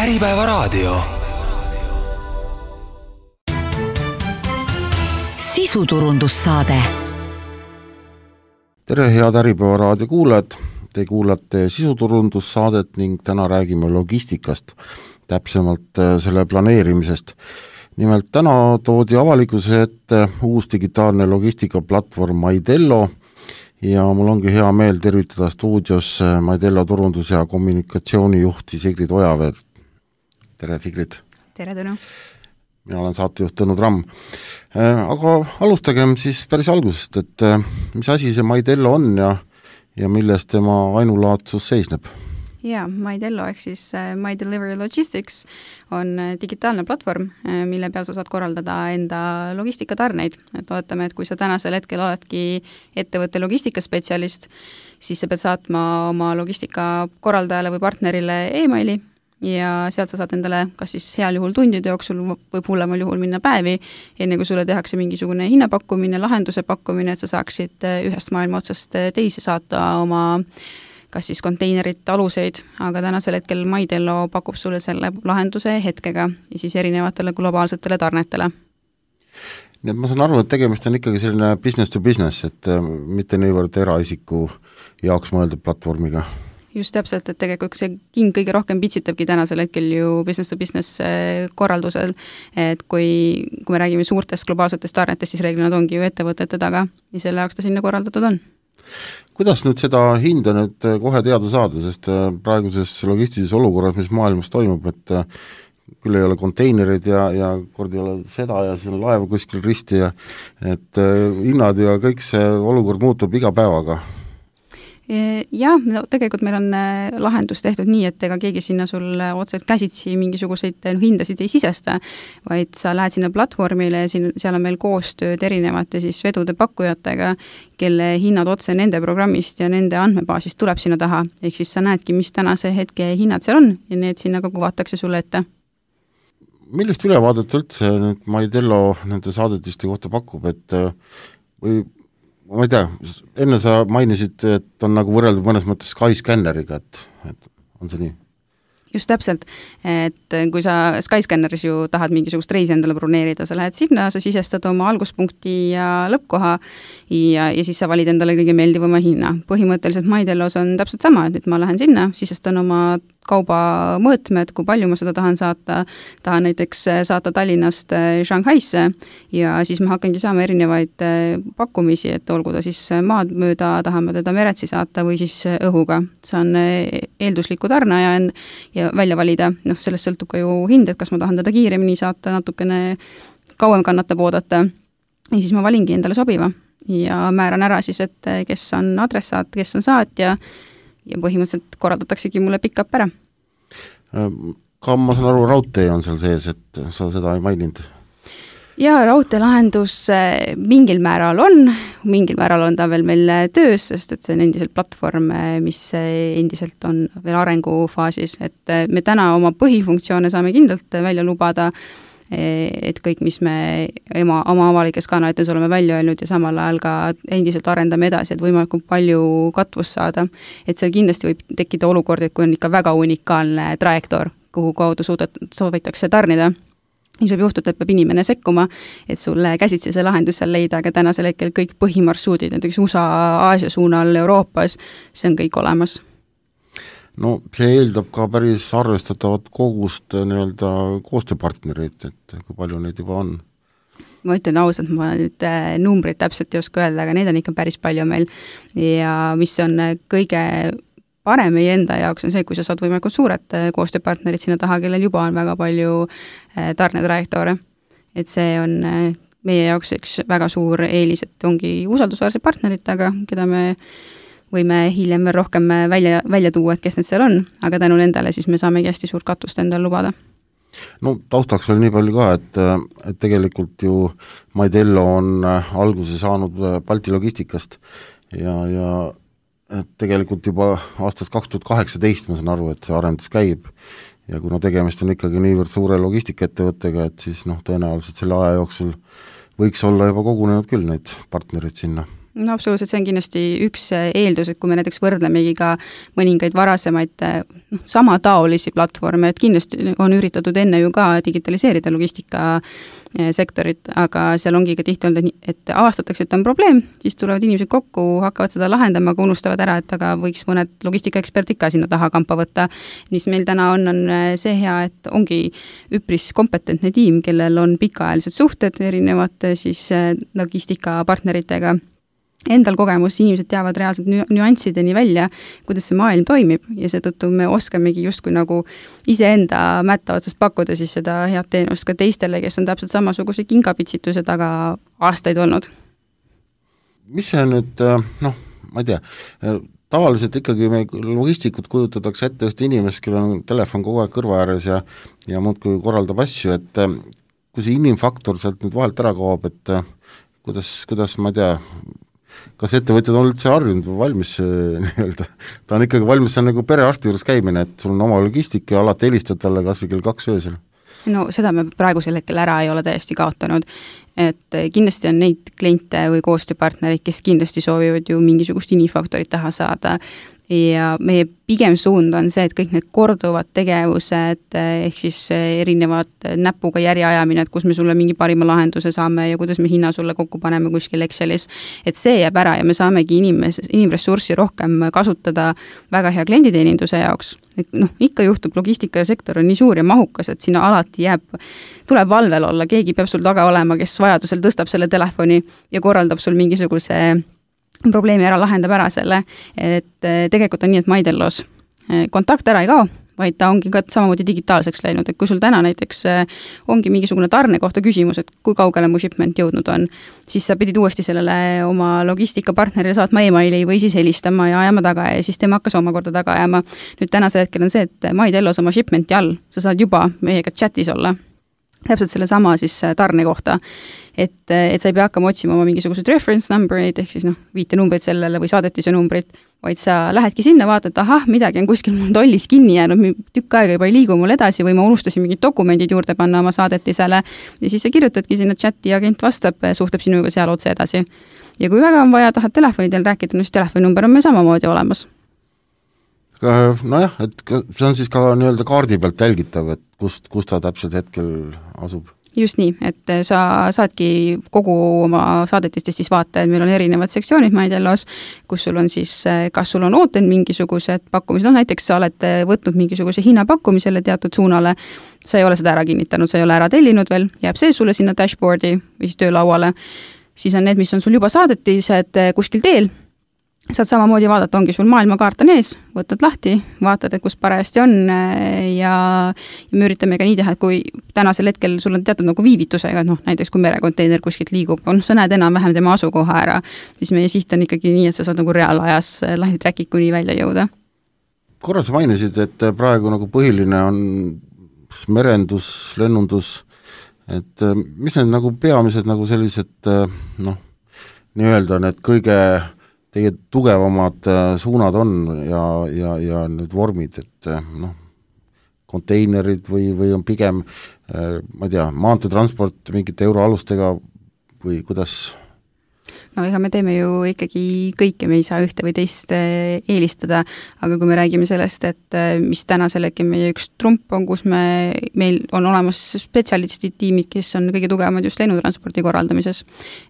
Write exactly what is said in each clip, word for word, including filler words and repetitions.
Äripäevaraadio. Sisuturundussaade. Tere, head Äripäevaraadio kuulajad! Te kuulate sisuturundussaadet ning täna räägime logistikast, täpsemalt selle planeerimisest. Nimelt täna toodi avalikkuse ette uus digitaalne logistikaplatvorm Maidello ja mul ongi hea meel tervitada stuudios Maidello turundus- ja kommunikatsioonijuhti Sigrid Ojaveed. Tere, Sigrid! Tere, Tõnu! Mina olen saatejuht Tõnu Tramm. Aga alustagem siis päris algusest, et mis asi see Maidello on ja, ja milles tema ainulaadsus seisneb? Jaa, Maidello ehk siis My Delivery Logistics on digitaalne platvorm, mille peal sa saad korraldada enda logistikatarneid. Et ootame, et kui sa tänasel hetkel oledki ettevõtte logistikaspetsialist, siis sa pead saatma oma logistika korraldajale või partnerile e-maili ja sealt sa saad endale kas siis heal juhul tundide jooksul võib hullemal juhul minna päevi, enne kui sulle tehakse mingisugune hinnapakkumine, lahenduse pakkumine, et sa saaksid ühest maailma otsast teise saata oma kas siis konteinerit, aluseid, aga tänasel hetkel Maidello pakub sulle selle lahenduse hetkega ja siis erinevatele globaalsetele tarnetele. Nii et ma saan aru, et tegemist on ikkagi selline business to business, et mitte niivõrd eraisiku jaoks mõeldud platvormiga. Just täpselt, et tegelikult see king kõige rohkem pitsitabki tänasel hetkel ju business to business korraldusel, et kui, kui me räägime suurtest globaalsetest tarnetest, siis reeglina ongi ju ettevõtete taga ja selle jaoks ta sinna korraldatud on. Kuidas nüüd seda hinda nüüd kohe teada saada, sest praeguses logistilises olukorras, mis maailmas toimub, et küll ei ole konteinerid ja, ja kord ei ole seda ja siin laeva kuskil risti ja et hinnad ja kõik see olukord muutub iga päevaga? Jah, no tegelikult meil on lahendus tehtud nii, et ega keegi sinna sulle otseselt käsitsi mingisuguseid hindasid ei sisesta, vaid sa lähed sinna platvormile ja siin, seal on meil koostööd erinevate siis vedude pakkujatega, kelle hinnad otse nende programmist ja nende andmebaasist tuleb sinna taha. Ehk siis sa näedki, mis tänase hetke hinnad seal on ja need sinna ka kuvatakse sulle ette. Millest ülevaadet üldse nüüd Maidello nende saadetiste kohta pakub, et või ma ei tea, enne sa mainisid, et on nagu võrreldud mõnes mõttes Skyscanneriga, et, et on see nii? Just täpselt, et kui sa Skyscanneris ju tahad mingisugust reisi endale broneerida, sa lähed sinna, sa sisestad oma alguspunkti ja lõppkoha ja, ja siis sa valid endale kõige meeldivama hinna. Põhimõtteliselt Maidellos on täpselt sama, et ma lähen sinna, sisestan oma kauba mõõtmed, kui palju ma seda tahan saata, tahan näiteks saata Tallinnast Shanghaisse ja siis ma hakkangi saama erinevaid pakkumisi, et olgu ta siis maad mööda, tahame teda meretsi saata või siis õhuga. Saan eeldusliku tarnaja ja välja valida, noh, sellest sõltub ka ju hind, et kas ma tahan teda kiiremini saata, natukene kauem kannatab oodata ja siis ma valingi endale sobiva ja määran ära siis, et kes on adressaat, kes on saatja ja põhimõtteliselt korraldataksegi mulle pick-up ära. Ka ma saan aru, raudtee on seal sees, et sa seda ei maininud? Jaa, raudteelahendus mingil määral on, mingil määral on ta veel meil töös, sest et see on endiselt platvorm, mis endiselt on veel arengufaasis, et me täna oma põhifunktsioone saame kindlalt välja lubada, et kõik, mis me oma, oma avalikes kanalites oleme välja öelnud ja samal ajal ka endiselt arendame edasi, et võimalikult palju katvust saada. Et seal kindlasti võib tekkida olukord, et kui on ikka väga unikaalne trajektoor, kuhu kaudu suudet, soovitakse tarnida, siis võib juhtuda, et peab inimene sekkuma, et sulle käsitsi see lahendus seal leida, aga tänasel hetkel kõik põhimarsruudid, näiteks U S A, Aasia suunal, Euroopas, see on kõik olemas. No see eeldab ka päris arvestatavat kogust nii-öelda koostööpartnereid, et kui palju neid juba on? Ma ütlen ausalt, ma nüüd numbrid täpselt ei oska öelda, aga neid on ikka päris palju meil ja mis on kõige parem meie enda jaoks on see, kui sa saad võimalikult suured koostööpartnerid sinna taha, kellel juba on väga palju tarnetrajektoore. Et see on meie jaoks üks väga suur eelis, et ongi usaldusväärse partneritega, keda me võime hiljem veel rohkem välja, välja tuua, et kes need seal on, aga tänu nendele siis me saamegi hästi suurt katust endale lubada. No taustaks veel nii palju ka, et, et tegelikult ju Maidello on alguse saanud Balti logistikast ja, ja et tegelikult juba aastast kaks tuhat kaheksateist ma saan aru, et see arendus käib ja kuna tegemist on ikkagi niivõrd suure logistikaettevõttega, et siis noh, tõenäoliselt selle aja jooksul võiks olla juba kogunenud küll neid partnerid sinna. no absoluutselt, see on kindlasti üks eeldus, et kui me näiteks võrdlemegi ka mõningaid varasemaid noh, samataolisi platvorme, et kindlasti on üritatud enne ju ka digitaliseerida logistikasektorit, aga seal ongi ka tihti olnud, et avastatakse, et on probleem, siis tulevad inimesed kokku, hakkavad seda lahendama, aga unustavad ära, et aga võiks mõned logistikaeksperdid ka sinna taha kampa võtta. Mis meil täna on, on see hea, et ongi üpris kompetentne tiim, kellel on pikaajalised suhted erinevate siis logistikapartneritega. Endal kogemus, inimesed teavad reaalselt nüanssideni välja, kuidas see maailm toimib ja seetõttu me oskamegi justkui nagu iseenda mätta otsast pakkuda siis seda head teenust ka teistele, kes on täpselt samasuguse kingapitsituse taga aastaid olnud. Mis see nüüd, noh, ma ei tea, tavaliselt ikkagi me logistikud kujutatakse ette just inimest, kellel on telefon kogu aeg kõrva ääres ja, ja muudkui korraldab asju, et kui see inimfaktor sealt nüüd vahelt ära kaob, et kuidas, kuidas ma ei tea, kas ettevõtjad on üldse harjunud või valmis nii-öelda, ta on ikkagi valmis, see on nagu perearsti juures käimine, et sul on oma logistika ja alati helistad talle kas või kell kaks öösel. No seda me praegusel hetkel ära ei ole täiesti kaotanud, et kindlasti on neid kliente või koostööpartnerid, kes kindlasti soovivad ju mingisugust infaktorit taha saada ja meie pigem suund on see, et kõik need korduvad tegevused ehk siis erinevad näpuga järjeajamine, et kus me sulle mingi parima lahenduse saame ja kuidas me hinna sulle kokku paneme kuskil Excelis, et see jääb ära ja me saamegi inimes, inimressurssi rohkem kasutada väga hea klienditeeninduse jaoks. Et noh, ikka juhtub, logistikasektor on nii suur ja mahukas, et sinna alati jääb, tuleb valvel olla, keegi peab sul taga olema, kes vajadusel tõstab selle telefoni ja korraldab sul mingisuguse probleemi ära, lahendab ära selle, et tegelikult on nii, et Maidellos kontakt ära ei kao, vaid ta ongi ka samamoodi digitaalseks läinud, et kui sul täna näiteks ongi mingisugune tarne kohta küsimus, et kui kaugele mu shipment jõudnud on, siis sa pidid uuesti sellele oma logistikapartnerile saatma e-maili või siis helistama ja ajama taga ja siis tema hakkas omakorda taga ajama. Nüüd tänase hetkel on see, et Maidellos oma shipmenti all, sa saad juba meiega chatis olla, täpselt selle sama siis tarne kohta, et, et sa ei pea hakkama otsima oma mingisugused reference numberid, ehk siis noh, viite numbreid sellele või saadetise numbrit, vaid sa lähedki sinna, vaatad, ahah, midagi on kuskil mul tollis kinni jäänud, tükk aega juba ei liigu mul edasi või ma unustasin mingid dokumendid juurde panna oma saadetisele ja siis sa kirjutadki sinna chati ja agent vastab, suhtleb sinuga seal otse edasi. Ja kui väga on vaja, tahad telefonidel rääkida, no siis telefoninumber on meil samamoodi olemas. Nojah, et see on siis ka nii-öelda kaardi pealt jälgitav, et kust, kust ta täpselt hetkel asub. Just nii, et sa saadki kogu oma saadetistest siis vaata, et meil on erinevad sektsioonid Maidellos, kus sul on siis, kas sul on ooten mingisugused pakkumised, no näiteks sa oled võtnud mingisuguse hinnapakkumisele teatud suunale, sa ei ole seda ära kinnitanud, sa ei ole ära tellinud veel, jääb see sulle sinna dashboardi või siis töölauale, siis on need, mis on sul juba saadetised kuskil teel, saad samamoodi vaadata, ongi sul maailmakaart on ees, võtad lahti, vaatad, et kus parajasti on ja, ja me üritame ka nii teha, et kui tänasel hetkel sul on teatud nagu viivitusega, noh, näiteks kui merekonteiner kuskilt liigub, on, sa näed enam-vähem tema asukoha ära, siis meie siht on ikkagi nii, et sa saad nagu reaalajas lahti trackid kuni välja jõuda. Korra sa mainisid, et praegu nagu põhiline on merendus, lennundus, et mis need nagu peamised nagu sellised, noh, nii-öelda need kõige teie tugevamad suunad on ja, ja, ja need vormid, et noh, konteinerid või, või on pigem, ma ei tea, maanteetransport mingite euroalustega või kuidas? No ega me teeme ju ikkagi kõike, me ei saa ühte või teist eelistada, aga kui me räägime sellest, et mis tänasel hetkel meie üks trump on, kus me, meil on olemas spetsialistid tiimid, kes on kõige tugevamad just lennutranspordi korraldamises,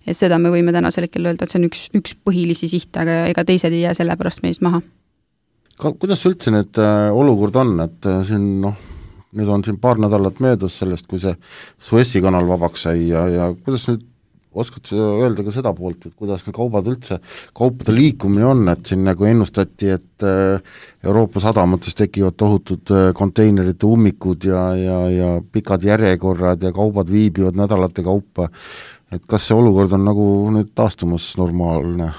et seda me võime tänasel hetkel öelda, et see on üks, üks põhilisi sihte, aga ega teised ei jää selle pärast meist maha. Ka, kuidas üldse need olukord on, et siin noh, nüüd on siin paar nädalat möödas sellest, kui see Suessi kanal vabaks sai ja, ja kuidas nüüd oskad öelda ka seda poolt, et kuidas need kaubad üldse, kaupade liikumine on, et siin nagu ennustati, et Euroopa sadamates tekivad tohutud konteinerite ummikud ja, ja, ja pikad järjekorrad ja kaubad viibivad nädalate kaupa, et kas see olukord on nagu nüüd taastumas normaalne?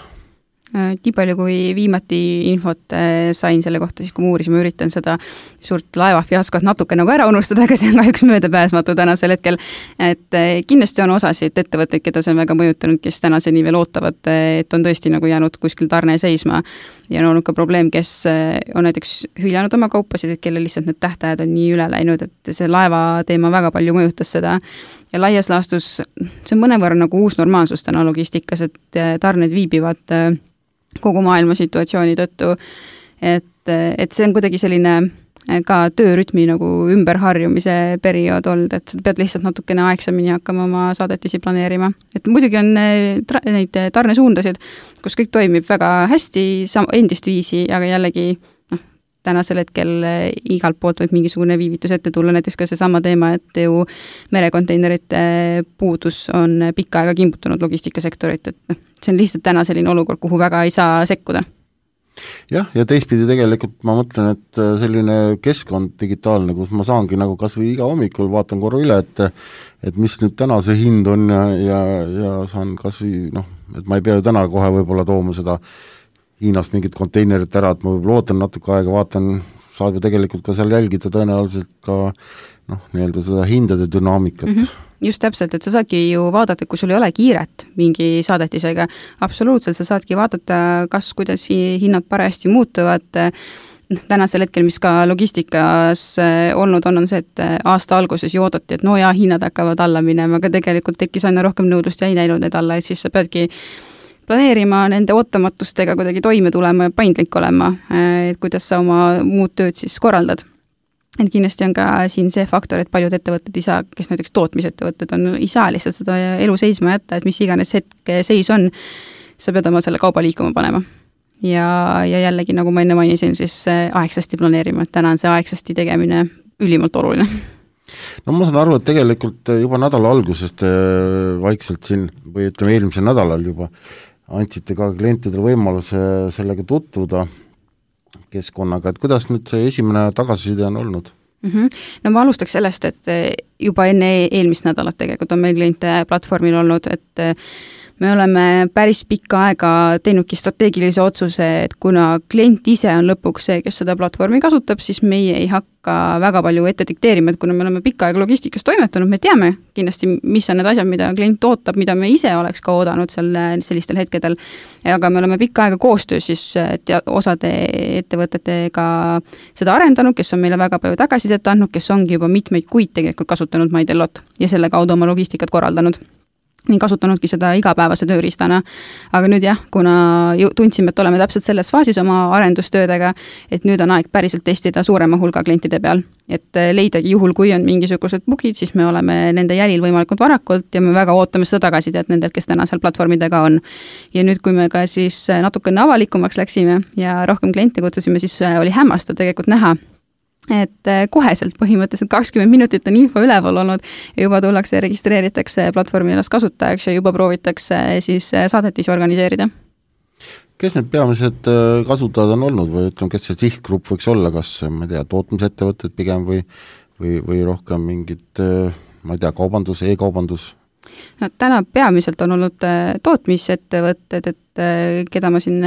Nii palju, kui viimati infot sain selle kohta, siis kui ma uurisin, ma üritan seda suurt laevafiaskot natuke nagu ära unustada, aga see on kahjuks möödapääsmatu tänasel hetkel. Et kindlasti on osasid ettevõtteid, keda see on väga mõjutanud, kes tänaseni veel ootavad, et on tõesti nagu jäänud kuskil tarne seisma. Ja on olnud ka probleem, kes on näiteks hüljanud oma kaupasid, et kelle lihtsalt need tähtajad on nii üle läinud, et see laeva teema väga palju mõjutas seda. ja laias laastus see on mõnevõrra nagu uus normaalsus täna logistikas, et tarned viibivad kogu maailma situatsiooni tõttu, et, et see on kuidagi selline ka töörütmi nagu ümberharjumise periood olnud, et sa pead lihtsalt natukene aegsamini hakkama oma saadetisi planeerima. Et muidugi on neid tarnesuundasid, kus kõik toimib väga hästi, endist viisi, aga jällegi noh, tänasel hetkel igalt poolt võib mingisugune viivitus ette tulla, näiteks ka see sama teema, et ju merekonteinerite puudus on pikka aega kimbutunud logistikasektorit, et see on lihtsalt täna selline olukord, kuhu väga ei saa sekkuda. Jah, ja teistpidi tegelikult ma mõtlen, et selline keskkond digitaalne, kus ma saangi nagu kas või iga hommikul vaatan korra üle, et et mis nüüd täna see hind on ja, ja, ja saan kas või, noh, et ma ei pea ju täna kohe võib-olla tooma seda Hiinast mingit konteinerit ära, et ma võib-olla ootan natuke aega, vaatan, saab ju tegelikult ka seal jälgida tõenäoliselt ka noh, nii-öelda seda hindade dünaamikat. Mm-hmm. Just täpselt, et sa saadki ju vaadata, kui sul ei ole kiiret mingi saadetisega, absoluutselt sa saadki vaadata, kas, kuidas hinnad parajasti muutuvad. Tänasel hetkel, mis ka logistikas olnud on, on see, et aasta alguses ju oodati, et no jaa, hinnad hakkavad alla minema, aga tegelikult tekkis aina rohkem nõudlust ja ei näinud need alla, et siis sa peadki planeerima nende ootamatustega kuidagi toime tulema ja paindlik olema, et kuidas sa oma muud tööd siis korraldad. Et kindlasti on ka siin see faktor, et paljud ettevõtted ei saa, kes näiteks tootmisettevõtted on, ei saa lihtsalt seda elu seisma jätta, et mis iganes hetke seis on, sa pead oma selle kauba liikuma panema. Ja, ja jällegi, nagu ma enne mainisin, siis aegsasti planeerima, et täna on see aegsasti tegemine ülimalt oluline. No ma saan aru, et tegelikult juba nädala algusest vaikselt siin, või ütleme eelmisel nädalal juba andsite ka klientidele võimaluse sellega tutvuda keskkonnaga, et kuidas nüüd see esimene tagasiside on olnud? Mm-hmm. No ma alustaks sellest, et juba enne eelmist nädalat tegelikult on meil kliente platvormil olnud, et me oleme päris pikka aega teinudki strateegilise otsuse, et kuna klient ise on lõpuks see, kes seda platvormi kasutab, siis meie ei hakka väga palju ette dikteerima, et kuna me oleme pikka aega logistikas toimetanud, me teame kindlasti, mis on need asjad, mida klient ootab, mida me ise oleks ka oodanud selle, sellistel hetkedel, aga me oleme pikka aega koostöös siis tea, osade ettevõtetega seda arendanud, kes on meile väga palju tagasisidet andnud, kes ongi juba mitmeid kuid tegelikult kasutanud MyDellot ja selle kaudu oma logistikat korraldanud. Nii kasutanudki seda igapäevase tööriistana, aga nüüd jah, kuna tundsime, et oleme täpselt selles faasis oma arendustöödega, et nüüd on aeg päriselt testida suurema hulga klientide peal, et leidagi juhul, kui on mingisugused bugid, siis me oleme nende jälil võimalikult varakult ja me väga ootame seda tagasisidet nendelt, kes täna seal platvormidega on. Ja nüüd, kui me ka siis natukene avalikumaks läksime ja rohkem kliente kutsusime, siis oli hämmastav tegelikult näha, et koheselt põhimõtteliselt kakskümmend minutit on info üleval olnud ja juba tullakse ja registreeritakse platvormi ennast kasutajaks ja juba proovitakse siis saadetisi organiseerida. Kes need peamised kasutajad on olnud või ütleme, kes see sihtgrupp võiks olla, kas ma ei tea, tootmisettevõtted pigem või, või, või rohkem mingid, ma ei tea, kaubandus, e-kaubandus? No, täna peamiselt on olnud tootmisettevõtted, et keda ma siin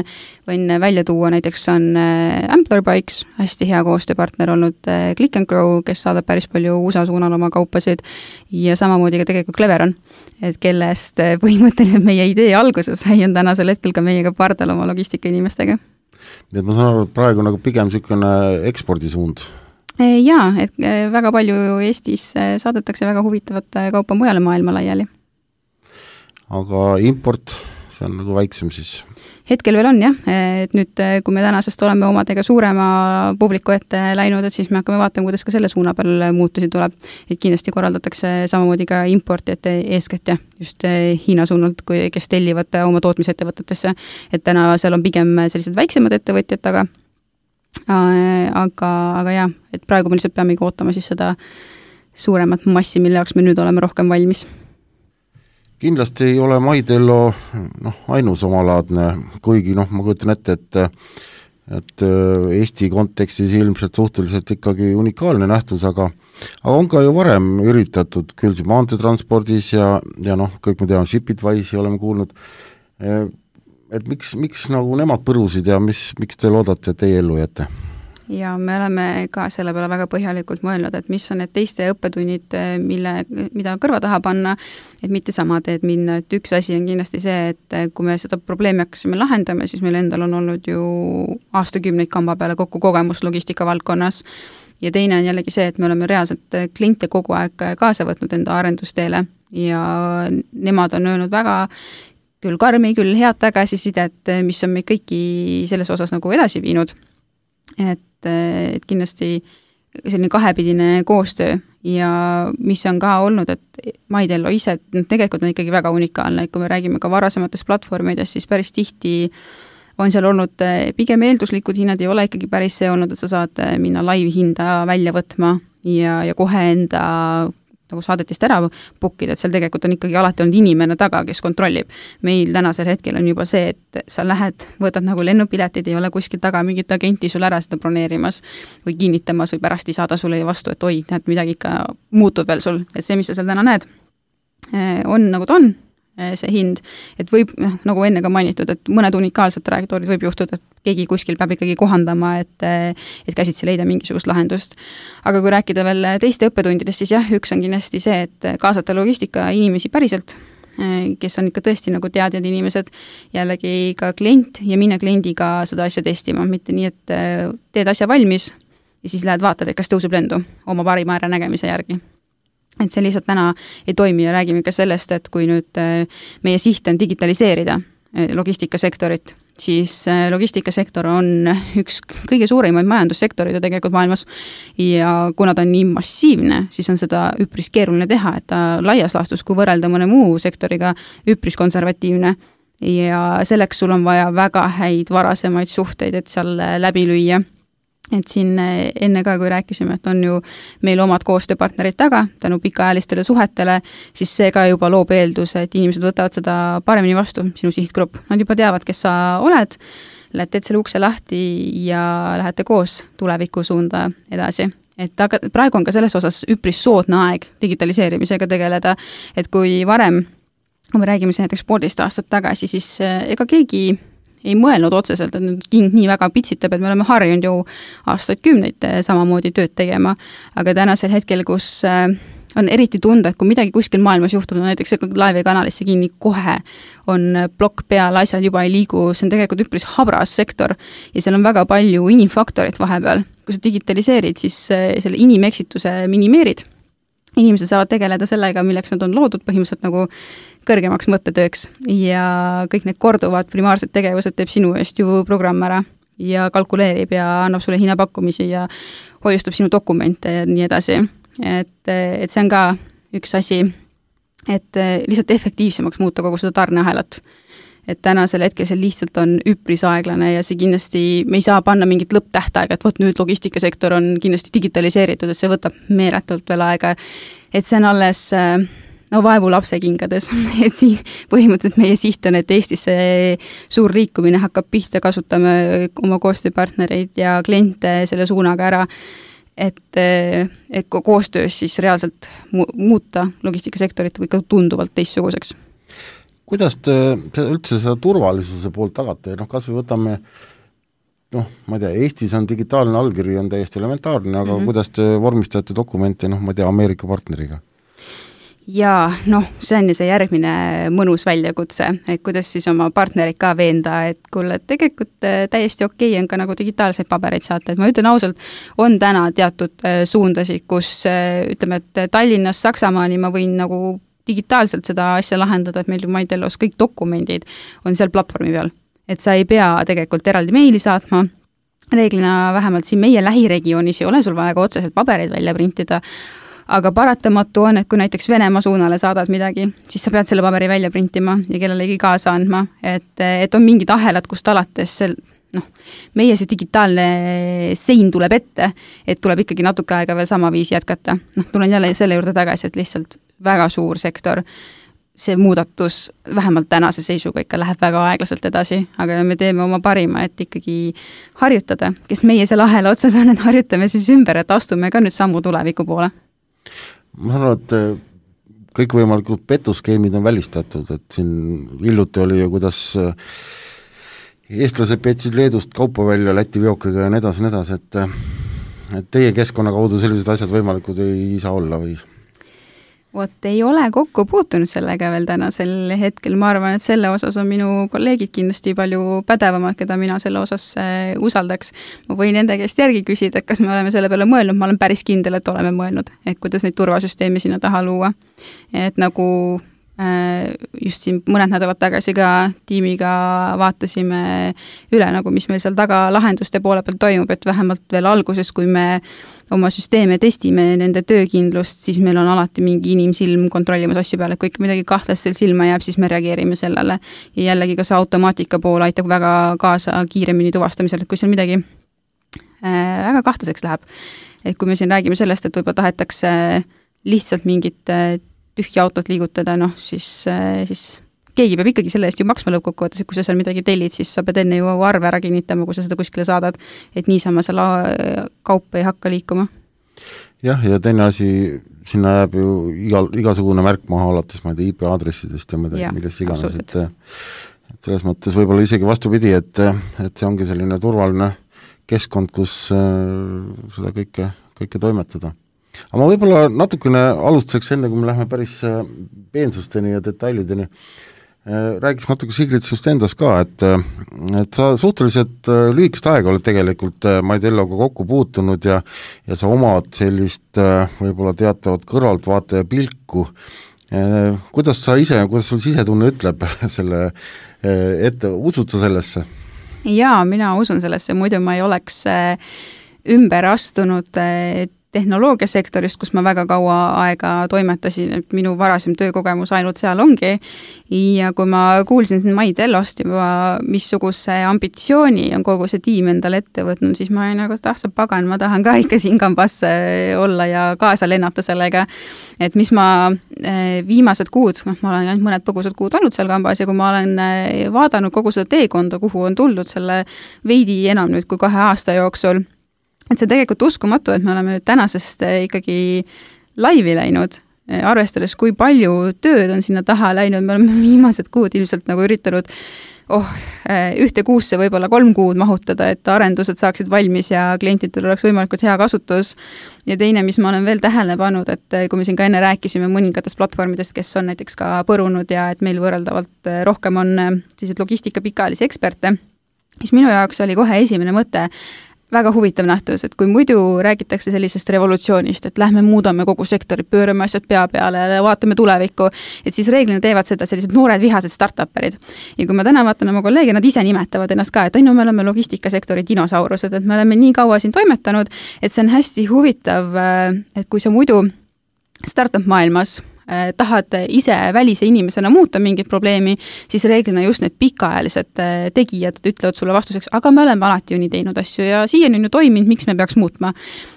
võin välja tuua, näiteks on Ampler Bikes, hästi hea koostööpartner olnud Click and Grow, kes saadab päris palju U S A suunal oma kaupasid ja samamoodi ka tegelikult Cleveron, et kellest põhimõtteliselt meie idee alguses sai on tänasel hetkel ka meiega pardal oma logistika inimestega. Nii et ma saan aru, et praegu nagu pigem niisugune ekspordisuund. Jaa, et väga palju Eestis saadetakse väga huvitavat kaupa mujale maailma laiali. Aga import, see on nagu väiksem siis? Hetkel veel on jah, et nüüd kui me tänasest oleme omadega suurema publiku ette läinud, et siis me hakkame vaatama, kuidas ka selle suuna peal muutusi tuleb. Et kindlasti korraldatakse samamoodi ka importijate eeskätt ja just Hiina suunalt, kes tellivad oma tootmisettevõtetesse. Et täna seal on pigem sellised väiksemad ettevõtjad taga. Aga, aga jah, et praegu me lihtsalt peame ootama siis seda suuremat massi, mille jaoks me nüüd oleme rohkem valmis. Kindlasti ei ole MyDello noh, ainus omalaadne, kuigi noh, ma kujutan ette, et, et Eesti kontekstis ilmselt suhteliselt ikkagi unikaalne nähtus, aga, aga on ka ju varem üritatud küll see maanteetranspordis ja, ja noh, kõik me teame, Shipitwise'i oleme kuulnud, et miks, miks nagu nemad põrusid ja mis, miks te loodate, et teie ellu jätte? Ja me oleme ka selle peale väga põhjalikult mõelnud, et mis on need teiste õppetunnid, mille, mida kõrva taha panna, et mitte sama teed minna, et üks asi on kindlasti see, et kui me seda probleemi hakkasime lahendama, siis meil endal on olnud ju aastakümneid kamba peale kokku kogemus logistika valdkonnas ja teine on jällegi see, et me oleme reaalselt kliente kogu aeg kaasa võtnud enda arendusteele ja nemad on öelnud väga küll karmi, küll head tagasisidet, mis on meid kõiki selles osas nagu edasi viinud. Et, et kindlasti selline kahepidine koostöö ja mis on ka olnud, et MyTello ise tegelikult on ikkagi väga unikaalne, et kui me räägime ka varasematest platvormidest, siis päris tihti on seal olnud pigem eelduslikud hinnad, ei ole ikkagi päris see olnud, et sa saad minna live hinda välja võtma ja, ja kohe enda nagu saadetist ära bookida, et seal tegelikult on ikkagi alati olnud inimene taga, kes kontrollib. Meil tänasel hetkel on juba see, et sa lähed, võtad nagu lennupiletid, ei ole kuskil taga mingit agenti sul ära seda broneerimas või kinnitamas või pärast ei saada sulle vastu, et oi, näed, midagi ikka muutub veel sul, et see, mis sa seal täna näed, on nagu ta on, see hind, et võib, nagu enne ka mainitud, et mõned unikaalsed trajektoorid võib juhtuda, et keegi kuskil peab ikkagi kohandama, et, et käsitsi leida mingisugust lahendust. Aga kui rääkida veel teiste õppetundidest, siis jah, üks on kindlasti see, et kaasata logistika inimesi päriselt, kes on ikka tõesti nagu teadjad inimesed, jällegi ka klient ja minna kliendiga seda asja testima, mitte nii, et teed asja valmis ja siis lähed vaatad, et kas tõuseb lendu oma parima ära nägemise järgi. Et see lihtsalt täna ei toimi ja räägime ka sellest, et kui nüüd meie siht on digitaliseerida logistikasektorit, siis logistikasektor on üks kõige suuremaid majandussektorid tegelikult maailmas ja kuna ta on nii massiivne, siis on seda üpris keeruline teha, et ta laias laastus, kui võrrelda mõne muu sektoriga, üpris konservatiivne ja selleks sul on vaja väga häid varasemaid suhteid, et seal läbi lüüa. Et siin enne ka, kui rääkisime, et on ju meil omad koostööpartnerid taga, tänu pikaajalistele suhetele, siis see ka juba loob eelduse, et inimesed võtavad seda paremini vastu, sinu sihtgrupp. Nad juba teavad, kes sa oled, lähed teed selle ukse lahti ja lähete koos tuleviku suunda edasi. Et aga praegu on ka selles osas üpris soodne aeg digitaliseerimisega tegeleda, et kui varem, kui me räägime see näiteks poolteist aastat tagasi, siis ega keegi ei mõelnud otseselt, et nüüd king nii väga pitsitab, et me oleme harjunud ju aastaid kümneid samamoodi tööd tegema, aga tänasel hetkel, kus on eriti tunda, et kui midagi kuskil maailmas juhtub, no näiteks Live kanalisse kinni kohe on plokk peal, asjad juba ei liigu, see on tegelikult üpris habras sektor ja seal on väga palju inimfaktorit vahepeal. Kui sa digitaliseerid, siis selle inimeksituse minimeerid. Inimesed saavad tegeleda sellega, milleks nad on loodud põhimõtteliselt nagu kõrgemaks mõttetööks ja kõik need korduvad primaarsed tegevused teeb sinu eest ju programm ära ja kalkuleerib ja annab sulle hinnapakkumisi ja hoiustab sinu dokumente ja nii edasi. Et, et see on ka üks asi, et lihtsalt efektiivsemaks muuta kogu seda tarneahelat. Et tänasel hetkel see lihtsalt on üpris aeglane ja see kindlasti, me ei saa panna mingit lõpptähtaega, et võt nüüd logistikasektor on kindlasti digitaliseeritud, et see võtab meeletult veel aega, et see on alles no vaevu lapse kingades, et siin põhimõtteliselt meie siht on, et Eestis see suur liikumine hakkab pihta, kasutame oma koostööpartnereid ja kliente selle suunaga ära, et, et koostöös siis reaalselt mu- muuta logistikasektorit ikka tunduvalt teistsuguseks. Kuidas te üldse seda turvalisuse poolt tagate, noh kas või võtame, noh ma ei tea, Eestis on digitaalne allkiri on täiesti elementaarne, aga mm-hmm. kuidas te vormistate dokumente, noh ma ei tea, Ameerika partneriga? Ja noh, see on see järgmine mõnus väljakutse, et kuidas siis oma partnerid ka veenda, et kuule, tegelikult täiesti okei on ka nagu digitaalseid pabereid saata, et ma ütlen ausalt, on täna teatud suundasid, kus ütleme, et Tallinnas, Saksamaani ma võin nagu digitaalselt seda asja lahendada, et meil ju MyTellos kõik dokumendid on seal platvormi peal, et sa ei pea tegelikult eraldi meili saatma, reeglina vähemalt siin meie lähiregioonis ei ole sul vaja ka otseselt pabereid välja printida, aga paratamatu on, et kui näiteks Venemaa suunale saadad midagi, siis sa pead selle paberi välja printima ja kellelegi kaasa andma, et, et on mingid ahelad, kust alates sel, noh, meie see digitaalne sein tuleb ette, et tuleb ikkagi natuke aega veel sama viisi jätkata. Noh, tulen jälle selle juurde tagasi, et lihtsalt väga suur sektor, see muudatus vähemalt tänase seisuga ikka läheb väga aeglaselt edasi, aga me teeme oma parima, et ikkagi harjutada, kes meie seal ahela otsas on, et harjutame siis ümber, et astume ka nüüd sammu tuleviku poole. Ma saan aru, et kõikvõimalikud petuskeemid on välistatud, et siin hiljuti oli ju, kuidas eestlased petsid Leedust kaupa välja Läti veokiga ja nii edasi, nii edasi, et, et teie keskkonna kaudu sellised asjad võimalikud ei saa olla või? Vot ei ole kokku puutunud sellega veel tänasel hetkel, ma arvan, et selle osas on minu kolleegid kindlasti palju pädevamad, keda mina selle osas usaldaks. Ma võin nende käest järgi küsida, et kas me oleme selle peale mõelnud, ma olen päris kindel, et oleme mõelnud, et kuidas neid turvasüsteemi sinna taha luua. Et nagu just siin mõned nädalad tagasi ka tiimiga vaatasime üle, nagu mis meil seal taga lahenduste poole peal toimub, et vähemalt veel alguses, kui me oma süsteeme testime nende töökindlust, siis meil on alati mingi inimsilm kontrollimas asju peale, et kui ikka midagi kahtlast seal silma jääb, siis me reageerime sellele. Ja jällegi ka see automaatika pool aitab väga kaasa kiiremini tuvastamisel, et kui seal midagi äh, väga kahtlaseks läheb. Et kui me siin räägime sellest, et võib-olla tahetakse lihtsalt mingit tühja autot liigutada, noh, siis, siis keegi peab ikkagi selle eest ju maksma lõppkokkuvõttes, et kui sa seal midagi tellid, siis sa pead enne ju arve ära kinnitama, kui sa seda kuskile saadad, et niisama seal kaup ei hakka liikuma. Jah, ja teine asi, sinna jääb ju igal, igasugune märk maha alates, ma ei tea, I P aadressidest ja midagi, milles iganes, et, et selles mõttes võib-olla isegi vastupidi, et, et see ongi selline turvaline keskkond, kus seda kõike, kõike toimetada. Aga ma võib-olla natukene alustuseks enne, kui me lähme päris peensusteni ja detailideni, räägiks natuke Sigrid sinust endast ka, et, et sa suhteliselt lühikest aega oled tegelikult Maidelloga kokku puutunud ja, ja sa omad sellist võib-olla teatavat kõrvaltvaataja pilku. Kuidas sa ise, kuidas sul sisetunne ütleb selle ette, usud sa sellesse? Jaa, mina usun sellesse, muidu ma ei oleks ümber astunud tehnoloogiasektorist, kus ma väga kaua aega toimetasin, et minu varasem töökogemus ainult seal ongi. Ja kui ma kuulsin Maidellost juba, missuguse ambitsiooni on kogu see tiim endale ette võtnud, siis ma olin nagu, et ah, sa pagan, ma tahan ka ikka siin kambas olla ja kaasa lennata sellega. Et mis ma viimased kuud, ma olen ainult mõned põgusad kuud olnud seal kambas ja kui ma olen vaadanud kogu seda teekonda, kuhu on tuldud selle veidi enam nüüd kui kahe aasta jooksul, et see tegelikult uskumatu, et me oleme nüüd tänasest ikkagi laivi läinud, arvestades, kui palju tööd on sinna taha läinud, me oleme viimased kuud ilmselt nagu üritanud oh, ühte kuusse võib-olla kolm kuud mahutada, et arendused saaksid valmis ja klientidel oleks võimalikult hea kasutus. Ja teine, mis ma olen veel tähele pannud, et kui me siin ka enne rääkisime mõningatest platvormidest, kes on näiteks ka põrunud ja et meil võrreldavalt rohkem on sellised logistika pikaajalisi eksperte, siis minu jaoks oli kohe esimene mõte, väga huvitav nähtus, et kui muidu räägitakse sellisest revolutsioonist, et lähme muudame kogu sektori, pöörame asjad pea peale ja vaatame tulevikku, et siis reeglina teevad seda sellised noored vihased startuperid. Ja kui ma täna vaatan oma kolleege, nad ise nimetavad ennast ka, et on ju, me oleme logistikasektori dinosaurused, et me oleme nii kaua siin toimetanud, et see on hästi huvitav, et kui sa muidu startup maailmas tahad ise välise inimesena muuta mingit probleemi, siis reeglina just need pikaajalised tegijad ütlevad sulle vastuseks, aga me oleme alati ju nii teinud asju ja siiani on ju toiminud, miks me peaks muutma.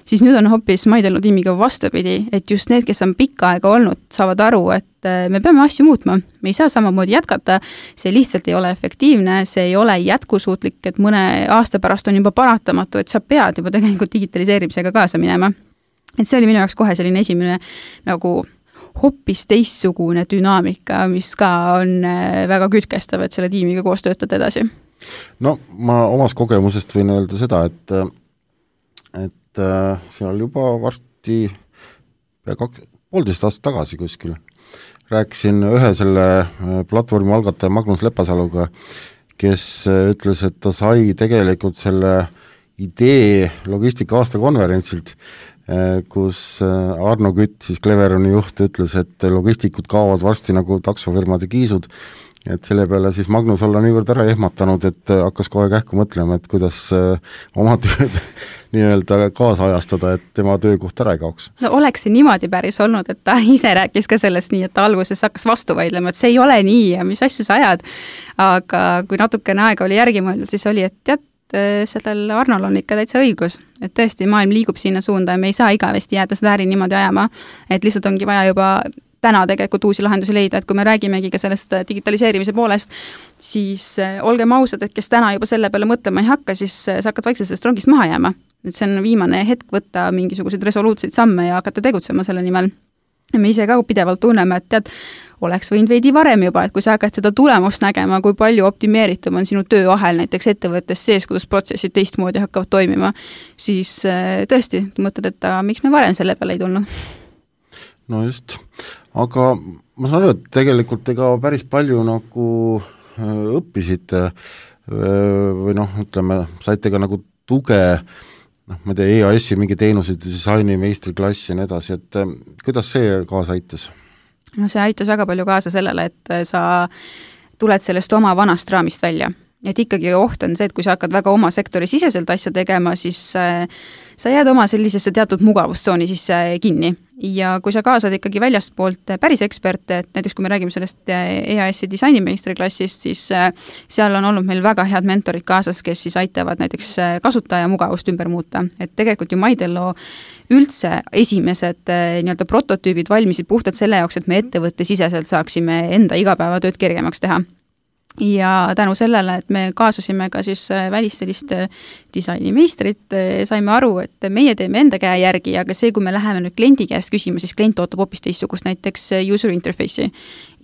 Siis nüüd on hoopis Maidello tiimiga vastupidi, et just need, kes on pikka aega olnud, saavad aru, et me peame asju muutma. Me ei saa samamoodi jätkata, see lihtsalt ei ole efektiivne, see ei ole jätkusuutlik, et mõne aasta pärast on juba paratamatu, et sa pead juba tegelikult digitaliseerimisega kaasa minema. Et see oli minu jaoks kohe selline esimene nagu hoopis teissugune dünaamika, mis ka on väga kütkestav, et selle tiimiga koos töötada edasi. No ma omas kogemusest võin öelda seda, et, et seal juba varsti kaks, poolteist aastat tagasi kuskil rääkisin ühe selle platvormi algataja Magnus Lepasaluga, kes ütles, et ta sai tegelikult selle idee logistika aasta konverentsilt, kus Arno Kütt, siis Cleveroni juht, ütles, et logistikud kaovad varsti nagu taksofirmade kiisud, et selle peale siis Magnus olla niivõrd ära ehmatanud, et hakkas kohe kähku mõtlema, et kuidas oma tööd nii-öelda kaasajastada, et tema töökoht ära ei kaoks. No oleks see niimoodi päris olnud, et ta ise rääkis ka sellest nii, et ta alguses hakkas vastu vaidlema, et see ei ole nii ja mis asju sa ajad, aga kui natukene aega oli järgi mõeldud, siis oli, et tead, sellel Arnol on ikka täitsa õigus, et tõesti maailm liigub sinna suunda ja me ei saa igavesti jääda seda äri niimoodi ajama, et lihtsalt ongi vaja juba täna tegelikult uusi lahendusi leida, et kui me räägimegi ka sellest digitaliseerimise poolest, siis olgem ausad, et kes täna juba selle peale mõtlema ei hakka, siis sa hakkad vaikselt sellest rongist maha jääma. Et see on viimane hetk võtta mingisuguseid resoluutseid samme ja hakata tegutsema selle nimel. Ja me ise ka pidevalt tunneme, et tead, oleks võinud veidi varem juba, et kui sa hakkad seda tulemust nägema, kui palju optimeeritum on sinu tööahel näiteks ettevõttes sees, kuidas protsessid teistmoodi hakkavad toimima, siis tõesti mõtled, et miks me varem selle peale ei tulnud? no just, aga ma saan aru, et tegelikult ega päris palju nagu õppisite või noh, ütleme, saite ka nagu tuge, noh, ma ei tea, E A S-i mingi teenuseid, disaini, meistriklassi ja nii edasi, et kuidas see kaasa aitas? No see aitas väga palju kaasa sellele, et sa tuled sellest oma vanast raamist välja. Et ikkagi oht on see, et kui sa hakkad väga oma sektori siseselt asja tegema, siis äh, sa jääd oma sellisesse teatud mugavustsooni sisse kinni. Ja kui sa kaasad ikkagi väljast poolt päris eksperte, et näiteks kui me räägime sellest E A S-i disainimeistriklassist, siis äh, seal on olnud meil väga head mentorid kaasas, kes siis aitavad näiteks kasutaja mugavust ümber muuta. Et tegelikult ju Maidello üldse esimesed äh, nii-öelda prototüübid valmisid puhtalt selle jaoks, et me ettevõtte siseselt saaksime enda igapäevatööd kergemaks teha. Ja tänu sellele, et me kaasasime ka siis välist sellist disainimeistrit, saime aru, et meie teeme enda käe järgi, aga see, kui me läheme nüüd kliendi käest küsima, siis klient ootab hoopis teistsugust näiteks user interface'i.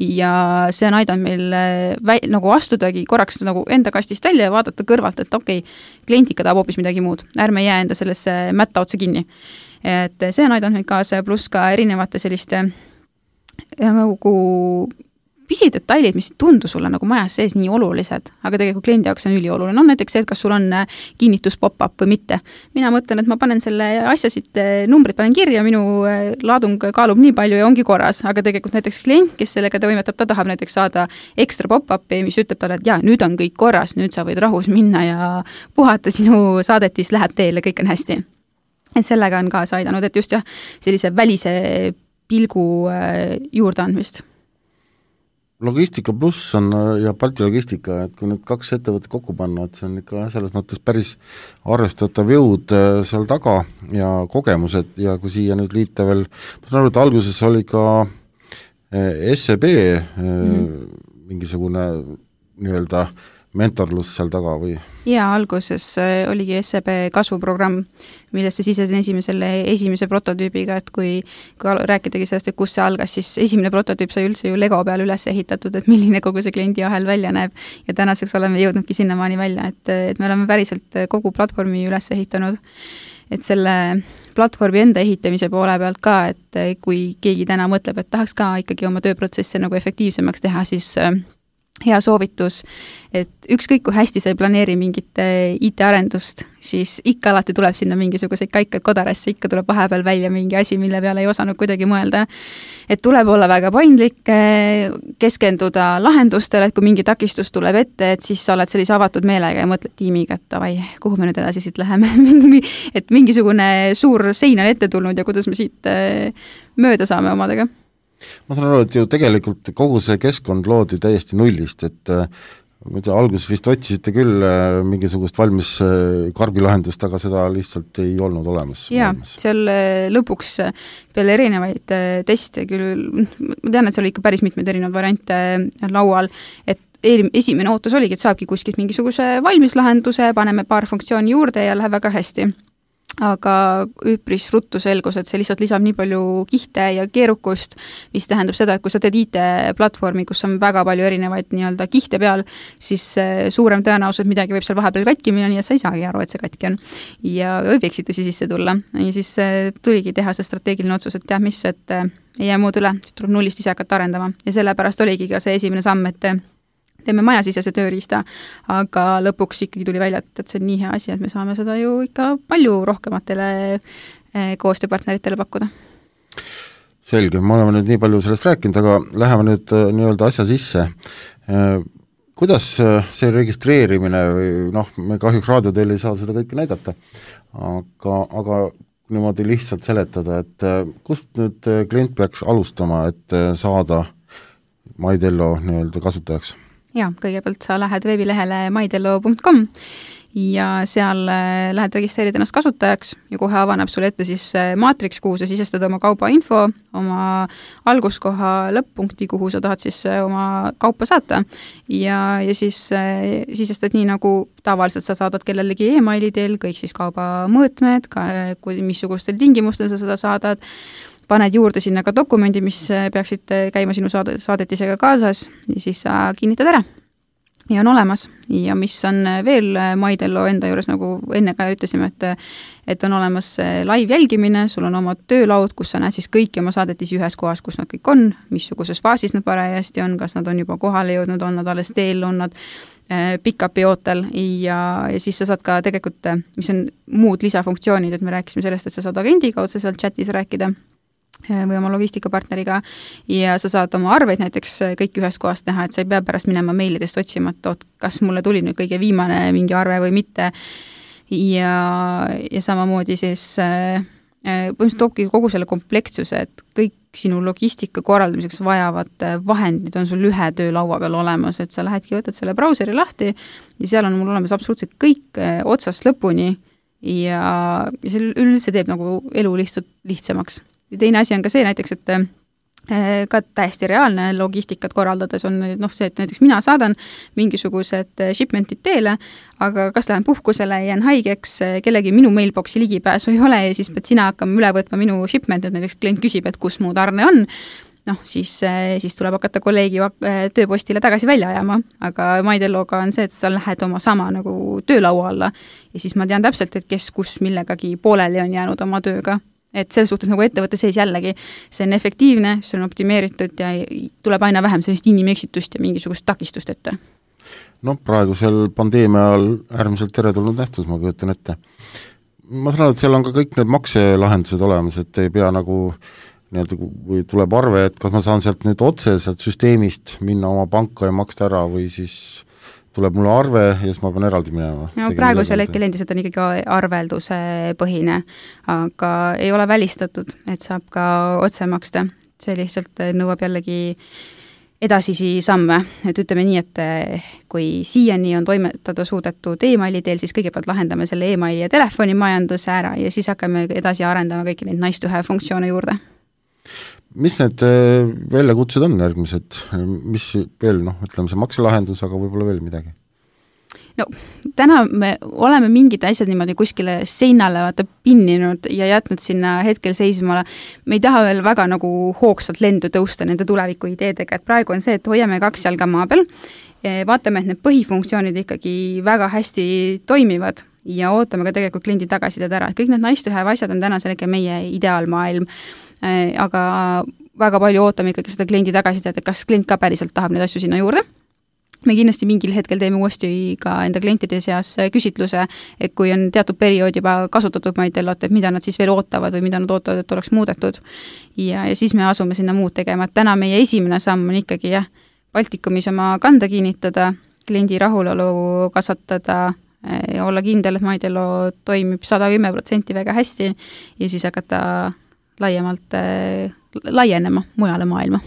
Ja see on aidanud meil vä- nagu astudagi korraks nagu enda kastist välja ja vaadata kõrvalt, et okei, okay, klient ikka tahab hoopis midagi muud. Ärme jää enda sellesse mätta otsa kinni. Et see on aidanud meid kaasa, pluss ka erinevate selliste nagu pisidetailid, mis tundu sulle nagu majas sees nii olulised, aga tegelikult kliendi jaoks on ülioluline. On näiteks see, et kas sul on kinnitus pop-up või mitte. Mina mõtlen, et ma panen selle asja siit, numbrid panen kirja, minu laadung kaalub nii palju ja ongi korras, aga tegelikult näiteks klient, kes sellega toimetab, ta tahab näiteks saada ekstra pop-upi, mis ütleb talle, et jaa, nüüd on kõik korras, nüüd sa võid rahus minna ja puhata, sinu saadetis läheb teele, kõik on hästi. Et sellega on kaasa aidanud, et just jah, sellise välise pilgu juurde andmist. Logistika pluss on ja Balti logistika, et kui nüüd kaks ettevõtet kokku panna, et see on ikka selles mõttes päris arvestatav jõud seal taga ja kogemused ja kui siia nüüd liita veel, ma saan aru, et alguses oli ka S E B mm. mingisugune nii-öelda mentorlus seal taga või? Jaa, alguses oligi S E B kasvuprogramm, millesse sisesin esimesele, esimese prototüübiga, et kui, kui rääkidagi sellest, et kus see algas, siis esimene prototüüp sai üldse ju Lego peal üles ehitatud, et milline kogu see kliendi ahel välja näeb ja tänaseks oleme jõudnudki sinnamaani välja, et, et me oleme päriselt kogu platvormi üles ehitanud, et selle platvormi enda ehitamise poole pealt ka, et kui keegi täna mõtleb, et tahaks ka ikkagi oma tööprotsesse nagu efektiivsemaks teha, siis hea soovitus, et ükskõik kui hästi sa ei planeeri mingit I T-arendust, siis ikka alati tuleb sinna mingisuguseid kaikaid kodarasse, ikka tuleb vahepeal välja mingi asi, mille peale ei osanud kuidagi mõelda. Et tuleb olla väga paindlik, keskenduda lahendustele, et kui mingi takistus tuleb ette, et siis sa oled sellise avatud meelega ja mõtled tiimiga, et davai, kuhu me nüüd edasi siit läheme, et mingisugune suur sein on ette tulnud ja kuidas me siit mööda saame omadega. Ma saan aru, et ju tegelikult kogu see keskkond loodi täiesti nullist, et ma tea, alguses vist otsisite küll mingisugust valmis karbilahendust, aga seda lihtsalt ei olnud olemas. Jaa, seal lõpuks peale erinevaid teste küll, ma tean, et seal oli ikka päris mitmed erinevad variante laual, et esimene ootus oligi, et saabki kuskilt mingisuguse valmis lahenduse, paneme paar funktsiooni juurde ja läheb väga hästi. Aga üpris ruttu selgus, et see lihtsalt lisab nii palju kihte ja keerukust, mis tähendab seda, et kui sa teed I T-platvormi, kus on väga palju erinevaid nii-öelda kihte peal, siis suurem tõenäosus, midagi võib seal vahepeal katki minna, nii et sa ei saagi aru, et see katki on. Ja võib eksitusi sisse tulla. Ja siis tuligi teha see strateegiline otsus, et tead mis, et ei jää muud üle, siis tuleb nullist ise hakata arendama. Ja sellepärast oligi ka see esimene samm, et teeme majasisese tööriista, aga lõpuks ikkagi tuli välja, et see on nii hea asi, et me saame seda ju ikka palju rohkematele koostööpartneritele pakkuda. Selge, me oleme nüüd nii palju sellest rääkinud, aga läheme nüüd nii-öelda asja sisse. Kuidas see registreerimine või noh, me kahjuks raadioteel ei saa seda kõike näidata, aga, aga niimoodi lihtsalt seletada, et kust nüüd klient peaks alustama, et saada Maidello nii-öelda kasutajaks? Jaa, kõigepealt sa lähed veebilehele maidello punkt com ja seal lähed registreerida ennast kasutajaks ja kohe avaneb sulle ette siis maatriks, kuhu sa sisestad oma kauba info, oma alguskoha lõpp-punkti, kuhu sa tahad siis oma kaupa saata ja, ja siis sisestad nii nagu tavaliselt sa saadad kellelegi e-maili teel, kõik siis kauba mõõtmed, ka, kui missugustel tingimustel sa seda saadad, paned juurde sinna ka dokumendi, mis peaksid käima sinu saadetisega kaasas ja siis sa kinnitad ära. ja on olemas ja mis on veel Maidello enda juures, nagu enne ka ütlesime, et et on olemas live jälgimine, sul on oma töölaud, kus sa näed siis kõiki oma saadetisi ühes kohas, kus nad kõik on, missuguses faasis nad parajasti on, kas nad on juba kohale jõudnud, on nad alles teel, on nad pick-upi ootel ja, ja siis sa saad ka tegelikult, mis on muud lisafunktsioonid, et me rääkisime sellest, et sa saad agendiga otseselt chatis rääkida või oma logistikapartneriga ja sa saad oma arveid näiteks kõik ühest kohast näha, et sa ei pea pärast minema meilidest otsima, et oot, kas mulle tuli nüüd kõige viimane mingi arve või mitte ja, ja samamoodi siis põhimõtteliselt toobki kogu selle komplektsuse, et kõik sinu logistika korraldamiseks vajavad vahendid on sul ühe töölaua peal olemas, et sa lähedki, võtad selle brauseri lahti ja seal on mul olemas absoluutselt kõik otsast lõpuni ja, ja see üldse teeb nagu elu lihtsalt lihtsamaks. Ja teine asi on ka see näiteks, et ka täiesti reaalne logistikat korraldades on noh, see, et näiteks mina saadan mingisugused shipmentid teele, aga kas lähen puhkusele, jään haigeks, kellegi minu mailboxi ligipääsu ei ole ja siis pead sina hakkama üle võtma minu shipment, et näiteks klient küsib, et kus mu tarne on, noh, siis, siis tuleb hakata kolleegi tööpostile tagasi välja ajama, aga Maidelloga on see, et sa lähed oma sama nagu töölaua alla ja siis ma tean täpselt, et kes kus millegagi pooleli on jäänud oma tööga. Et selles suhtes nagu ettevõtte seis jällegi, see on efektiivne, see on optimeeritud ja tuleb aina vähem sellist inimeksitust ja mingisugust takistust ette. No praegusel pandeemia ajal äärmiselt teretulnud nähtus, ma kujutan ette. Ma saan, et seal on ka kõik need makselahendused olemas, et ei pea nagu nii-öelda, kui tuleb arve, et kas ma saan sealt nüüd otse sealt süsteemist minna oma panka ja maksta ära või siis tuleb mulle arve ja siis ma pean eraldi minema. No, praegusel hetkel endiselt on ikkagi arvelduse põhine, aga ei ole välistatud, et saab ka otse maksta. See lihtsalt nõuab jällegi edasisi samme, et ütleme nii, et kui siiani on toimetada suudetud e-maili teel, siis kõigepealt lahendame selle e-maili ja telefonimajanduse ära ja siis hakkame edasi arendama kõiki neid nice to have funktsioone juurde. Mis need väljakutsed on järgmised? Mis veel, noh, ütleme see makselahendus, aga võib-olla veel midagi? No, täna me oleme mingid asjad niimoodi kuskile seinale vaata pinninud ja jätnud sinna hetkel seismale. Me ei taha veel väga nagu hoogsalt lendu tõusta nende tuleviku ideedega, et praegu on see, et hoiame kaks jalga maa peal, vaatame, et need põhifunktsioonid ikkagi väga hästi toimivad ja ootame ka tegelikult kliendi tagasisidet ära. Kõik need nice to have asjad on täna sellega meie ideaalmaailm, aga väga palju ootame ikkagi seda kliendi tagasisidet, et kas klient ka päriselt tahab neid asju sinna juurde. Me kindlasti mingil hetkel teeme uuesti ka enda klientide seas küsitluse, et kui on teatud periood juba kasutatud Maidellot, et mida nad siis veel ootavad või mida nad ootavad, et oleks muudetud. Ja, ja siis me asume sinna muud tegema, et täna meie esimene samm on ikkagi jah, Baltikumis oma kanda kinnitada, kliendi rahulolu kasvatada ja olla kindel, et Maidello toimib sada kümme protsenti väga hästi ja siis hakata laiemalt laienema mujale maailma.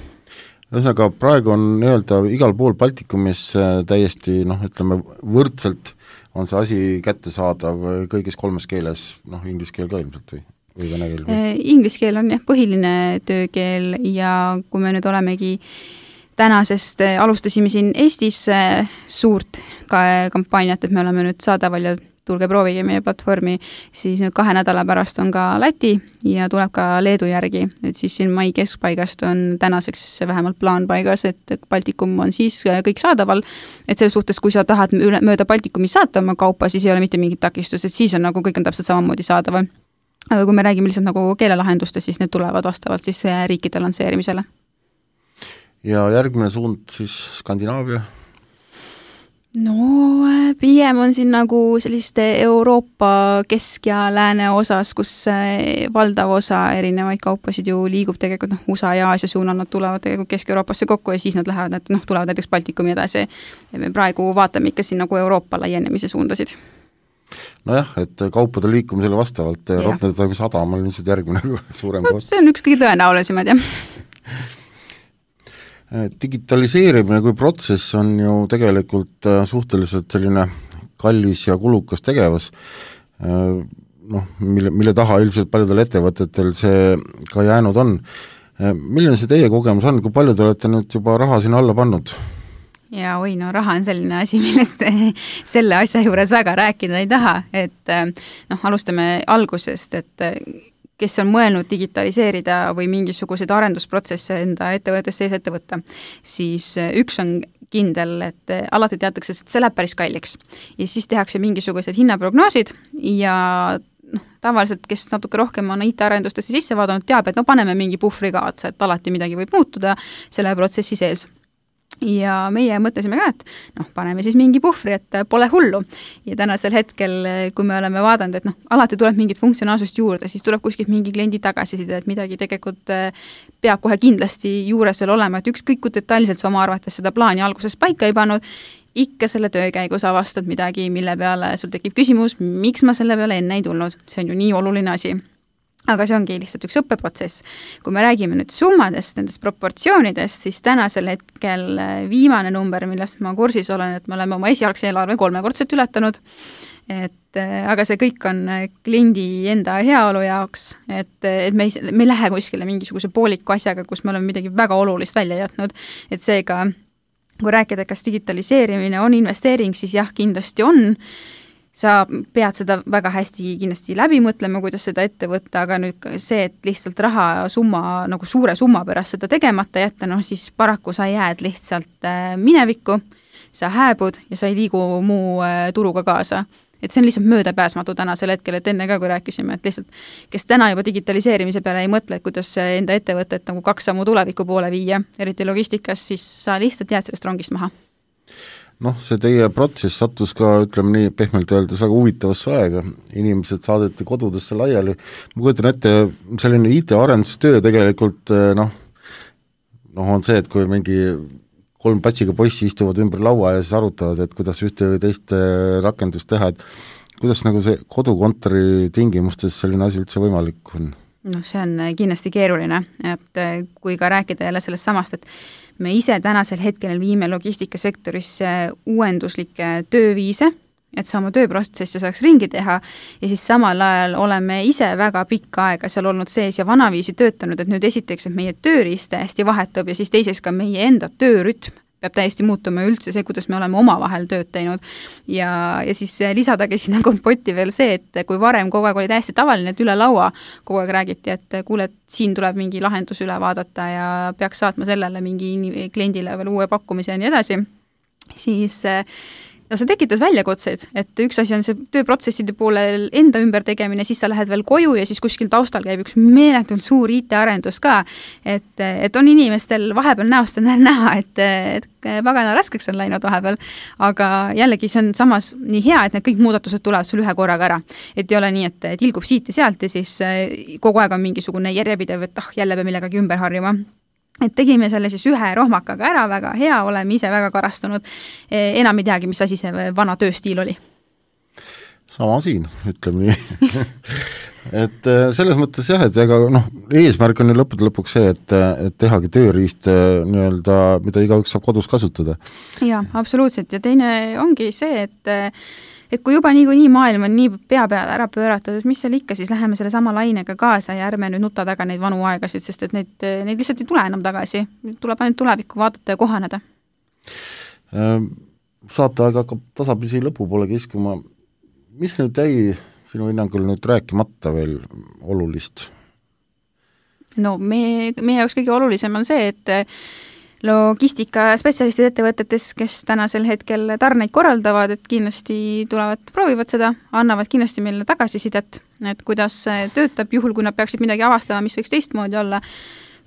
Ühesõnaga, praegu on nii-öelda igal pool Baltikumis täiesti, noh, ütleme, võrdselt on see asi kättesaadav kõigis kolmes keeles, noh, inglise keel ka ilmselt või, või vene keel? Või? Inglise keel on jah, põhiline töökeel ja kui me nüüd olemegi tänasest, alustasime siin Eestis suurt ka kampaaniat, et me oleme nüüd saadaval ja tulge proovige meie platvormi, siis nüüd kahe nädala pärast on ka Läti ja tuleb ka Leedu järgi, et siis siin mai keskpaigast on tänaseks vähemalt plaan paigas, et Baltikum on siis kõik saadaval, et selles suhtes, kui sa tahad üle, mööda Baltikumi saata oma kaupa, siis ei ole mitte mingit takistust, et siis on nagu kõik on täpselt samamoodi saadaval. Aga kui me räägime lihtsalt nagu keelelahendustest, siis need tulevad vastavalt siis riikide lansseerimisele. Ja järgmine suund siis Skandinaavia? No pigem on siin nagu selliste Euroopa kesk- ja lääne osas, kus valdav osa erinevaid kaupasid ju liigub tegelikult noh, U S A ja Aasia suunal, nad tulevad tegelikult Kesk-Euroopasse kokku ja siis nad lähevad, noh, tulevad näiteks Baltikumi edasi. Ja me praegu vaatame ikka siin nagu Euroopa laienemise suundasid. Nojah, et kaupade liikumisele vastavalt Rotterdami sadam on lihtsalt järgmine suurem no, koht. See on üks kõige tõenäolisemad, jah. Digitaliseerimine kui protsess on ju tegelikult suhteliselt selline kallis ja kulukas tegevus, noh, mille, mille taha ilmselt paljudel ettevõtetel see ka jäänud on. Milline see teie kogemus on, kui palju te olete nüüd juba raha sinna alla pannud? Ja oi, no raha on selline asi, millest selle asja juures väga rääkida ei taha, et noh, alustame algusest, et kes on mõelnud digitaliseerida või mingisuguseid arendusprotsesse enda ettevõttes sees ette võtta, siis üks on kindel, et alati teatakse, et see läheb päris kalliks. Ja siis tehakse mingisugused hinnaprognoosid ja noh, tavaliselt, kes natuke rohkem on I T-arendustesse sisse vaadanud, teab, et no paneme mingi puhvri ka otsa, et alati midagi võib muutuda selle protsessi sees. Ja meie mõtlesime ka, et noh, paneme siis mingi puhvri, et pole hullu. Ja tänasel hetkel, kui me oleme vaadanud, et noh, alati tuleb mingit funktsionaalsust juurde, siis tuleb kuskilt mingi kliendi tagasiside, et midagi tegelikult peab kohe kindlasti juures veel olema, et ükskõik kui detailselt sa oma arvates seda plaani alguses paika ei pannud, ikka selle töö käigus avastad midagi, mille peale sul tekib küsimus, miks ma selle peale enne ei tulnud. See on ju nii oluline asi. Aga see ongi lihtsalt üks õppeprotsess. Kui me räägime nüüd summadest, nendest proportsioonidest, siis tänasel hetkel viimane number, millest ma kursis olen, et me oleme oma esialgse eelarve kolmekordselt ületanud, et aga see kõik on kliendi enda heaolu jaoks, et, et me ei, me ei lähe kuskile mingisuguse pooliku asjaga, kus me oleme midagi väga olulist välja jätnud, et seega kui rääkida, kas digitaliseerimine on investeering, siis jah, kindlasti on. Sa pead seda väga hästi kindlasti läbi mõtlema, kuidas seda ette võtta, aga nüüd see, et lihtsalt raha summa, nagu suure summa pärast seda tegemata jätta, noh siis paraku sa jääd lihtsalt minevikku, sa hääbud ja sa ei liigu muu turuga kaasa. Et see on lihtsalt möödapääsmatu tänasel hetkel, et enne ka, kui rääkisime, et lihtsalt, kes täna juba digitaliseerimise peale ei mõtle, et kuidas enda ettevõtet nagu kaks sammu tuleviku poole viia, eriti logistikas, siis sa lihtsalt jääd sellest rongist maha. Noh, see teie protsess sattus ka, ütleme nii, pehmelt öeldes väga huvitavasse aega. Inimesed saadeti kodudesse laiali. Ma kujutan ette, selline I T-arendustöö tegelikult noh, noh, on see, et kui mingi kolm patsiga poissi istuvad ümber laua ja siis arutavad, et kuidas ühte või teist rakendust teha, et kuidas nagu see kodukontori tingimustes selline asi üldse võimalik on? No see on kindlasti keeruline, et kui ka rääkida jälle sellest samast, et me ise tänasel hetkel viime logistikasektorisse uuenduslikke tööviise, et sa oma tööprotsessi saaks ringi teha ja siis samal ajal oleme ise väga pikka aega seal olnud sees ja vanaviisi töötanud, et nüüd esiteks, et meie tööriist hästi vahetub ja siis teiseks ka meie enda töörütm peab täiesti muutuma üldse see, kuidas me oleme oma vahel tööd teinud. Ja, ja siis lisadagi sinna kompotti veel see, et kui varem kogu aeg oli täiesti tavaline, et üle laua kogu aeg räägiti, et kuule, et siin tuleb mingi lahendus üle vaadata ja peaks saatma sellele mingi kliendile veel uue pakkumise ja nii edasi, siis no see tekitas väljakutseid, et üks asi on see tööprotsesside poole enda ümber tegemine, siis sa lähed veel koju ja siis kuskil taustal käib üks meeletult suur I T-arendus ka, et, et on inimestel vahepeal näost on näha, et, et pagana raskeks on läinud vahepeal, aga jällegi see on samas nii hea, et need kõik muudatused tulevad sul ühe korraga ära. Et ei ole nii, et tilgub siit ja sealt ja siis kogu aeg on mingisugune järjepidev, et ah, jälle peab millegagi ümber harjuma. Et tegime selle siis ühe rohmakaga ära, väga hea, oleme ise väga karastunud, enam ei teagi, mis asi see vana tööstiil oli. Sama siin, ütleme nii. et selles mõttes jah, et ega noh, eesmärk on ju lõppude lõpuks see, et, et tehagi tööriist nii-öelda, mida igaüks saab kodus kasutada. Jaa, absoluutselt ja teine ongi see, et et kui juba nii, nii maailm on nii pea peale ära pööratud, et mis seal ikka, siis läheme selle sama lainega kaasa ja ärme nüüd nuta taga neid vanu aegasid, sest et neid, neid lihtsalt ei tule enam tagasi. Tuleb ainult tulevikku vaadata ja kohaneda. Saate aga hakkab tasapisi lõpupoole kiskuma. Mis nüüd jäi sinu hinnangul nüüd rääkimata veel olulist? No me, meie jaoks kõige olulisem on see, et logistika spetsialistid ettevõtetes, kes tänasel hetkel tarneid korraldavad, et kindlasti tulevad, proovivad seda, annavad kindlasti meile tagasisidet, et kuidas töötab juhul, kui nad peaksid midagi avastama, mis võiks teistmoodi olla,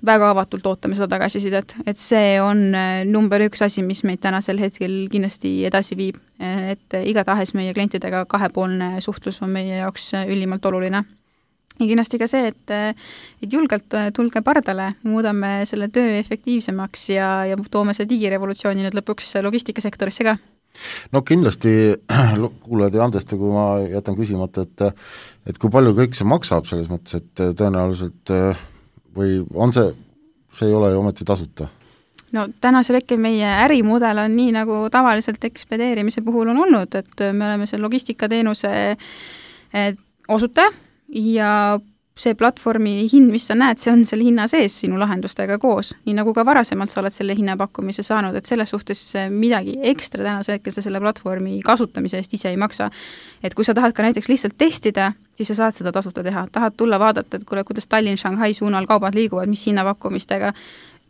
väga avatult ootame seda tagasisidet, et see on number üks asi, mis meid tänasel hetkel kindlasti edasi viib, et igatahes meie klientidega kahepoolne suhtlus on meie jaoks ülimalt oluline. Ja kindlasti ka see, et, et julgelt tulge pardale, muudame selle töö efektiivsemaks ja, ja toome see digirevolutsiooni nüüd lõpuks logistikasektorisse ka. No kindlasti kuulajad ja andesta, kui ma jätan küsimata, et, et kui palju kõik see maksab selles mõttes, et tõenäoliselt või on see, see ei ole ju ometi tasuta? No tänasel hetkel meie ärimudel on nii, nagu tavaliselt ekspedeerimise puhul on olnud, et me oleme see logistikateenuse osutaja ja see platvormi hind, mis sa näed, see on selle hinna sees sinu lahendustega koos, nii nagu ka varasemalt sa oled selle hinnapakkumise saanud, et selles suhtes midagi ekstra tänase hetkel sa selle platvormi kasutamise eest ise ei maksa. Et kui sa tahad ka näiteks lihtsalt testida, siis sa saad seda tasuta teha. Tahad tulla vaadata, et kuule, kuidas Tallinn, Shanghai suunal kaubad liiguvad, mis hinnapakkumistega,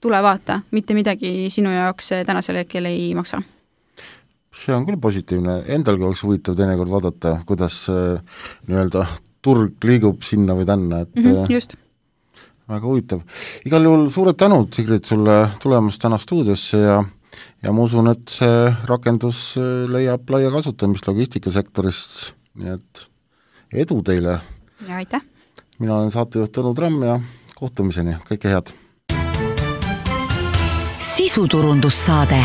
tule vaata, mitte midagi sinu jaoks tänasel hetkel ei maksa. See on küll positiivne, endalgi oleks huvitav teinekord vaadata, kuidas nii-öelda turg liigub sinna või tänna, et mm -hmm, just. Väga huvitav. Igal juhul suured tänud, Sigrid, sulle tulemast täna stuudiosse ja ja ma usun, et see rakendus leiab laia kasutamist logistikasektorist, nii et edu teile! Ja aitäh! Mina olen saatejuht Tõnu Tramm ja kohtumiseni, kõike head! Sisuturundussaade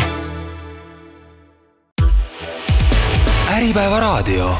Äripäeva raadio